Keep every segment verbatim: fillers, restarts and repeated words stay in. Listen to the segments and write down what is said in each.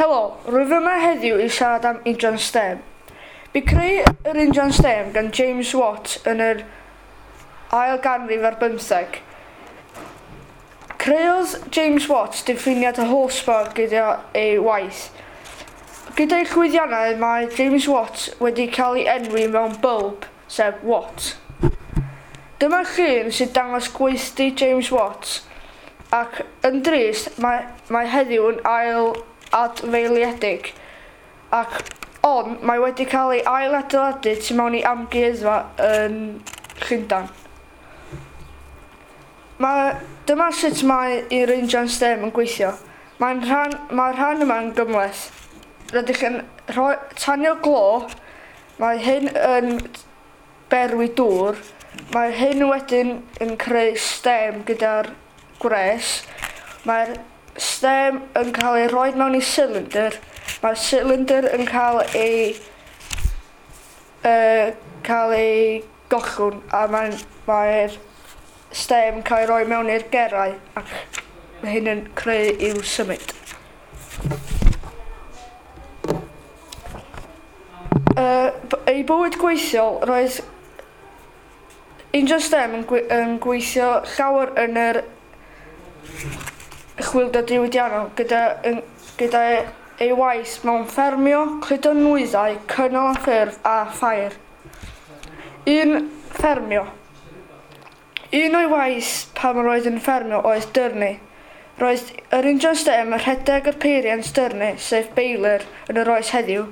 Helo, rwyf yma heddiw i siarad am injan stêm. Bu creu yr injan stêm gan James Watt yn yr ail ganrif ar bymtheg. Creodd James Watt diffiniad o horsepower gyda ei waith. Gyda'i llwyddiannau mae James Watt wedi cael ei enwi mewn bylb, sef Watt. Dyma llun sy'n dangos gweithdy James Watt, ac yn drist mae, mae heddiw yn ail adfeiliedig, ac ond mae wedi cael ei ailadeiladu tu mewn i amgueddfa yn Llundain. Mae, dyma sut mae i'r injan stêm yn gweithio. Mae'n rhan, mae'r rhan yma'n gymhleth. Rydych yn rhoi, tanio glo, mae hyn yn berwi dŵr, mae hyn wedyn yn creu stêm gyda'r gwres. Mae'r stêm yn cael ei rhoi mewn i cylinder. Mae'r cylinder yn cael ei uh, cael ei gollwng a mae'n mae'r stêm yn cael ei roi mewn i'r gerau ac mae hyn yn creu i'w symud. Uh, ei bywyd gweithiol, roedd injan stêm yn, gwe yn gweithio llawer yn yr chwyldro diwydiannol gyda, yn, gyda ei waith mewn ffermio, cludo nwyddau, cynnal a ffyrdd a ffair. Un ffermio. Un o'i waith pan roedd yn ffermio oedd dyrnu. Roedd yr injan stêm yn rhedeg yr peiriant dyrnu, sef baler, yn yr oes heddiw.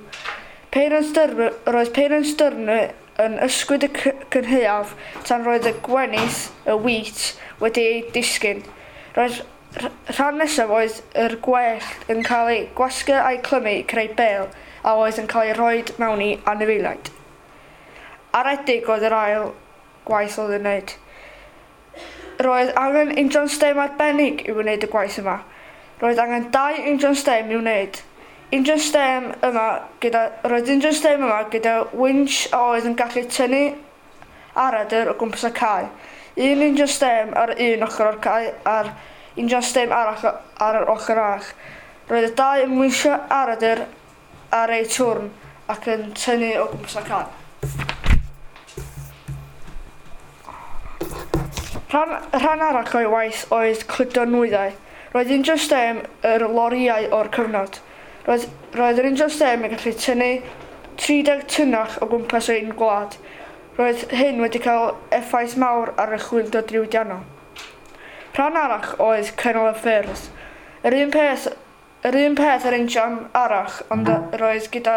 Peiriant dyrnu, roedd peiriant dyrnu yn ysgwyd y cynhaeaf tan roedd y gwenith, y wheat, wedi ei disgyn. Roedd rhan nesaf oedd yr gwellt yn cael ei gwasgu a'i clymu i creu bêl a oedd yn cael ei rhoi mewn i anifeiliaid. Aredig oedd yr ail gwaith oedd yn wneud. Roedd angen injan stêm arbennig i wneud y gwaith yma. Roedd angen dau injan stêm i wneud. Injan stêm yma gyda, roedd injan stêm yma gyda winch a oedd yn gallu tynnu aradr o gwmpas y cae. Un injan stêm ar un ochr o'r cae a'r injan stêm arall ar yr ochr arall. Roedd y dau yn winsio aradr ar eu twrn ac yn tynnu o gwmpas y cae. Rhan, rhan arall o'i waith oedd cludo nwyddau. Roedd injan stêm yr lorïau o'r cyfnod. Roedd, roedd yr injan stêm yn gallu tynnu tri deg tunnell o gwmpas ein gwlad. Roedd hyn wedi cael effaith mawr ar y chwyldro diwydiannol. Rhan arall oedd cynnal y ffyrdd. Yr un peth, yr un peth yr injan arall, ond roedd gyda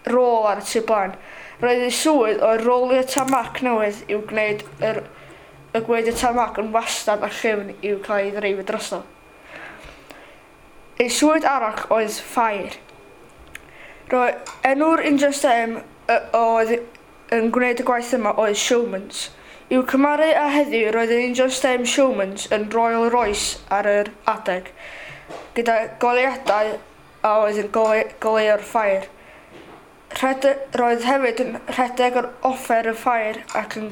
rôl ar y tu blaen. Roedd ei swydd oedd rolio tarmac newydd i'w gwneud yr, y gwneud y tarmac yn wastad a llyfn i'w cael ei ddreifio drosto. Ei swydd arall oedd ffair. Roedd enw'r injan stêm oedd yn gwneud y gwaith yma oedd Showmans. I'w cymharu â heddiw, roedd yr injan stêm Showmans yn Rolls Royce ar yr adeg, gyda goleuadau a oedd yn goleuo'r ffair. Rhede, roedd hefyd yn rhedeg yr offer y ffair ac yn,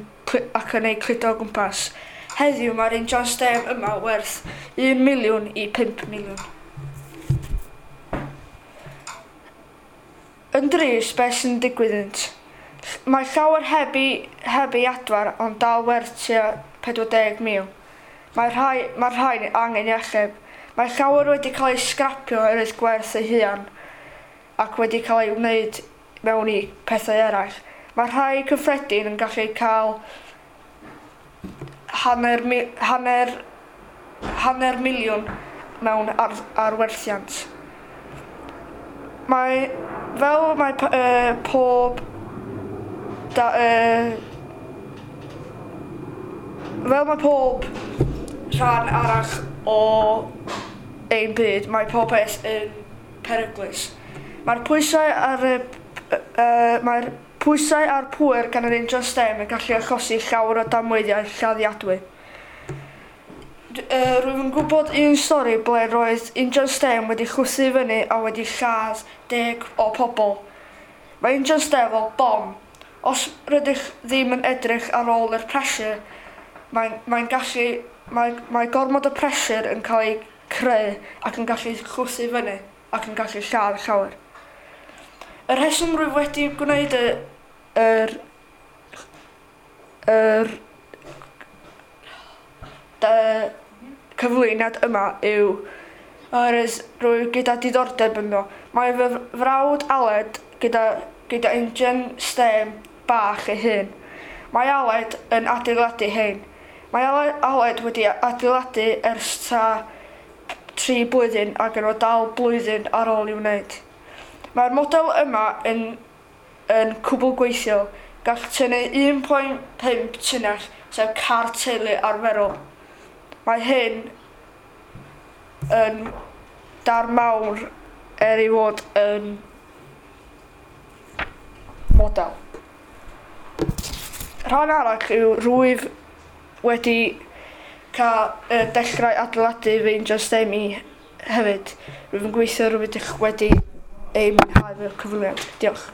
ac yn ei cludo o gwmpas. Heddiw mae'r injan stêm yma werth un miliwn i pump miliwn. Yn drist, beth sy'n digwydd iddynt? Mae llawer heb ei, heb ei adfer, ond dal werth tua pedwar deg mil. Mae rhai, mae rhai angen ei achub. Mae llawer wedi cael ei sgrapio oherwydd gwerth ei hunan ac wedi cael ei wneud mewn i pethau eraill. Mae rhai cyffredin yn gallu cael hanner, hanner, hanner miliwn mewn ar, arwerthiant. Mae, fel mae uh, pob da, uh, fel mae pob rhan arall o ein byd, mae pob peth yn peryglus. Mae'r pwysau ar y, uh, mae'r pwysau a'r pŵer gan yr injan stêm yn gallu achosi llawer o damweiniau lladdiadwy. Uh, rwyf yn gwybod un stori ble roedd injan stêm wedi chwythu fyny a wedi lladd deg o pobl. Mae injan stêm fel bom. Os rydych ddim yn edrych ar ôl yr pressure, mae'n mae gallu, mae, mae gormod o pressure yn cael ei creu ac yn gallu chwythu fyny. ac yn gallu lladd llawer. Y rheswm rwyf wedi gwneud y, yr, yr y cyflwyniad yma yw oherwydd rwyf gyda diddordeb ynddo. Mae fy frawd Aled gyda, gyda injan steam bach ei hun. Mae Aled yn adeiladu hein. Mae Aled wedi adeiladu ers ta tri blwyddyn ac yn o dal blwyddyn ar ôl i'w wneud. Mae'r model yma yn, yn cwbl gweithiol. Gall tynnu un pwynt pump tunnell, sef car teulu arferol. Mae hyn yn dar mawr er ei fod yn model. Rhan arall yw rwyf wedi cael uh, dechrau adeiladu fy injan steam i hefyd. Rwyf yn gweithio rwyf wedi ei mwynhau fy cyflwyniad. Diolch.